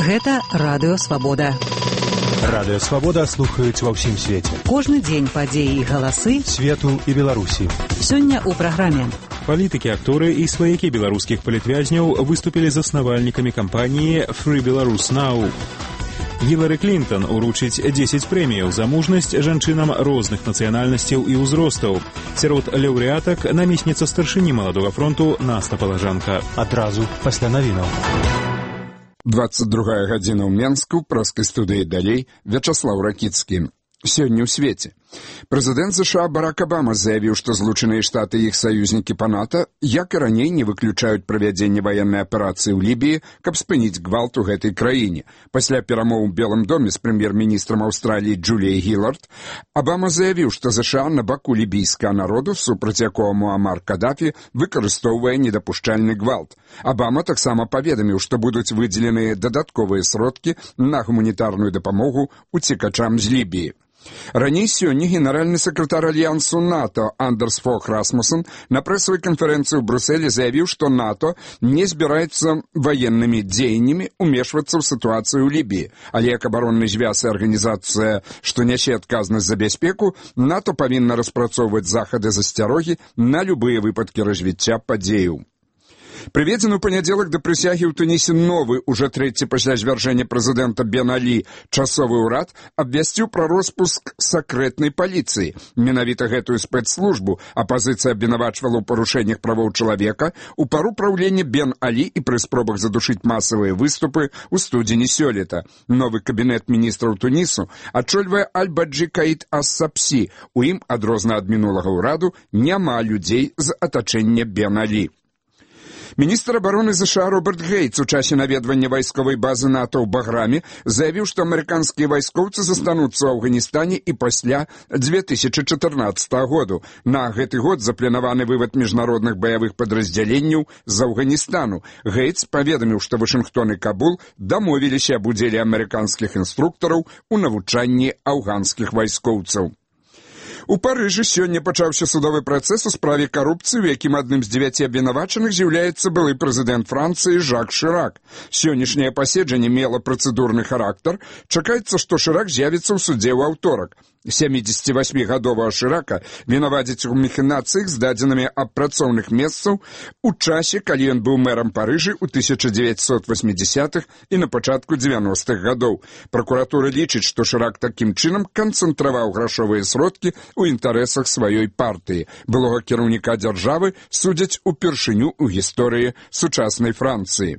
Гэта Радыё Свабода. Радыё Свабода слухаюць ва ўсім свеце. Кожны дзень падзеі і галасы свету і Беларусі. Сёння ў праграме. Палітыкі, акторы і сваякі беларускіх палітвязняў выступілі заснавальнікамі кампаніі Free Belarus Now. Гілары Клінтон уручыць 10 прэміяў за мужнасць жанчынам розных нацыянальнасцяў і ўзростаў. Сярод лаўрэатак намесніца старшыні Маладога фронту Наста Палажанка. Адразу пасля навінаў. 22 гадзіна ў Менску, праскай студыі «Далей», Вячаслаў Ракіцкі. Сёння ў свеце. Прэзідэнт США Барак Абама заявіў, што Злучаныя Штаты і іх саюзнікі па НАТО, як і раней, не выключаюць правядзенне ваеннай аперацыі ў Лібіі, каб спыніць гвалт у гэтай краіне. Пасля перамоў у Белым доме з прэм'ер-міністрам Аўстраліі Джуліяй Гілард, Абама заявіў, што США на баку лібійскага народу, супраць якога Муамар Кадафі выкарыстоўвае недапушчальны гвалт. Абама таксама паведаміў, што будуць выдзеленыя дадатковыя сродкі на гуманітарную дапамогу уцекачам з Лібіі. Раней сёння генеральны сакратар Альянсу НАТО Андерс Фог Расмуссен на прэсавай канферэнцыі ў Брюсселі заявіў, што НАТО не збіраецца ваеннымі дзеяннямі умешвацца ў сітуацыю ў Лібіі, але як абаронны звяз і арганізацыя, што нясе адказнасць за бяспеку, НАТО павінна распрацоўваць захады засцярогі на любыя выпадкі развіцця падзеяў. Прыведзены ў панядзелак да прысягі ў Тунісе новы, уже трэці пасля звяржэння прэзідэнта Бен Алі, часовы ўрад абвясціў пра роспуск сакрэтнай паліцыі. Менавіта гэтую спецслужбу апазіцыя абвінавачвала ў парушэннях правоў чалавека у пару праўлення Бен Алі і пры спробах задушыць масавыя выступы ў студзені сёлета. Новы кабінет міністраў Тунісу ачольвае Аль-Баджі Каід Ас-Сапсі. У ім, адрозна ад мінулага ўраду, няма людзей з атачэння Бен Алі. Міністр абароны США Роберт Гейтс у часе наведвання вайсковай базы НАТО ў Баграме заявіў, што амерыканскія вайскоўцы застануцца ў Афганістане і пасля 2014 году. На гэты год запланаваны вывад міжнародных баявых падраздзяленняў з Афганістану. Гейтс паведаміў, што Вашынгтон і Кабул дамовіліся аб удзеле амерыканскіх інструктараў у навучанні афганскіх вайскоўцаў. У Парыжы сёння пачаўся судовы працэс у справе карупцыі, у якім адным з 9 абвінавачаных з'яўляецца былы прэзідэнт Францыі Жак Шырак. Сённяшняе паседжанне мела працэдурны характар. Чакаецца, што Шырак з'явіцца ў судзе ў аўторак. 78-гадовага Шырака вінавадзяць у махінацыях з дадзенымі аб працоўных месцаў у часе, калі ён быў мэрам Парыжы ў 1980-х і на пачатку 90-х гадоў. Пракуратура лічыць, што Шырак такім чынам канцэнтраваў грашовыя сродкі ў інтарэсах сваёй партыі. Былога кіраўніка дзяржавы судзяць упершыню ў гісторыі сучаснай Францыі.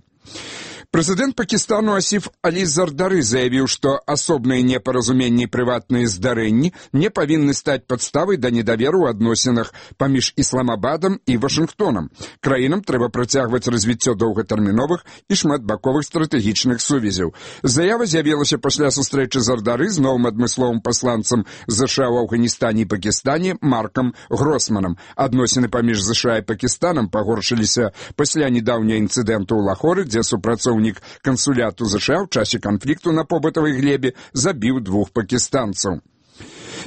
Прэзідэнт Пакістану Асіф Алі Зардары заявіў, што асобныя непаразуменні і прыватныя здарэнні не павінны стаць падставай да недаверу ў адносінах паміж Ісламабадам і Вашынгтонам. Краінам трэба працягваць развіццё доўгатэрміновых і шматбаковых стратэгічных сувязяў. Заява з'явілася пасля сустрэчы Зардары з новым адмысловым пасланцам ЗША ў Афганістане і Пакістане Маркам Гросманам. Адносіны паміж ЗША і Пакістанам пагоршыліся пасля недаўняга інцыдэнту ў Лахоры, дзе супрацоўнік кансуляту США ў часе канфлікту на побытавай глебе забіў 2 пакістанцаў.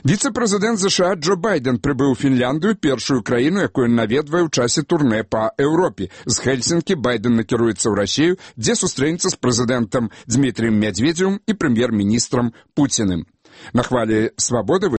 Віцэ-прэзідэнт США Джо Байден прыбыў у Фінляндыю, першую краіну, якую наведвае ў часе турнэ па Еўропе. З Хельсінкі Байден накіруецца ў Расію, дзе сустрэнецца з прэзідэнтам Дмітрыем Мядзведзевым і прэм'ер-міністрам Пуціным. На хвалі «Свабоды»